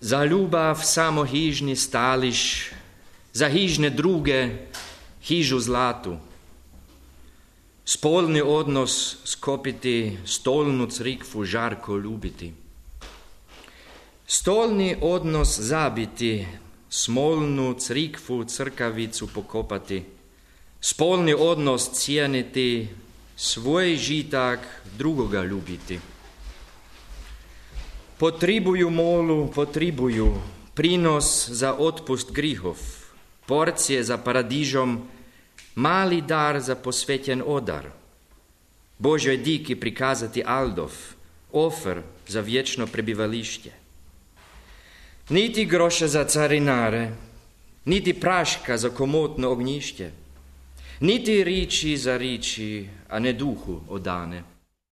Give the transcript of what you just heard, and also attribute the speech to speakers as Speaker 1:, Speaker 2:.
Speaker 1: Za ljubav samo hižni stališ, za hižne druge hižu zlatu. Spolni odnos skopiti, stolnu crikvu žarko ljubiti. Stolni odnos zabiti, smolnu crikvu crkavicu pokopati. Spolni odnos cijeniti, svoj žitak drugoga ljubiti. Potribuju molu, potribuju prinos za otpust grihov, porcije za paradižom, mali dar za posvećen odar, Božoj diki prikazati aldov, ofer za vječno prebivališće. Niti groša za carinare, niti praška za komotno ognjišće, niti riči za riči, a ne duhu odane.